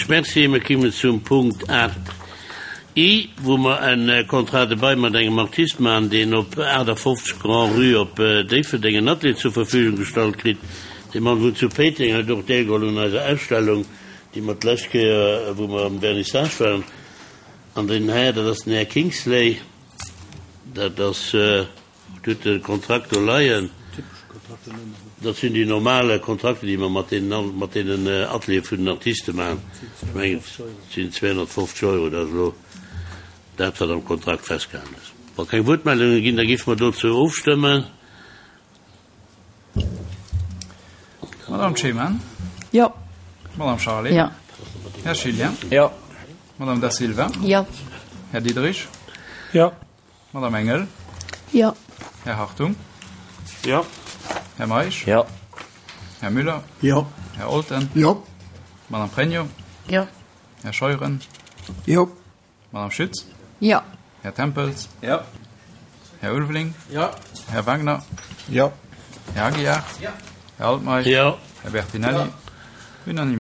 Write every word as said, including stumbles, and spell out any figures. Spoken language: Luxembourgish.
Häerzlech Merci. Mir kommen zum Punkt aacht I, wou mer e Contrat de bail mat engem Artist maachen, deen op aachtafoffzeg Grand-Rue op Déifferdeng en Atelier zur Verfügung gestallt kritt. Dee Mann wunnt zu Péiteng, huet och deelgeholl un eiser Ausstellung, déi mer d'lescht Kéier, wou mer am Vernissage waren. An den Här, dat ass den Här Kingsley, dat ass, Dir hutt de Kontrakt do leien. Dat sinn déi normal Kontrakter, déi mer mat deenen, mat deenen Ateliere vun den Artiste maachen. Ech mengen, et sinn zweehonnertfofzeg Euro. Dat ass elo dat, wat am Kontrakt festgehalen ass. Wa keng Wuertmeldunge ginn, da géife mer dozou ofstëmmen. Madame Ceman. Jo. Madame Charlé. Jo. Här Schilien. Jo. Madame Da Silva. Jo. Här Diderich. Jo. Madame Engel. Jo. Här Hartung. Jo. Här Meisch. Jo. Här Müller. Jo. Här Olten. Jo. Madame Pregno. Jo. Här Scheuren. Jo. Madame Schütz. Jo. Här Tempels. Jo. Här Ulveling. Jo. Här Wagner. Jo. Här Aguiar. Jo. Här Altmeisch. Jo. Här Bertinelli. Jo. Unanimité.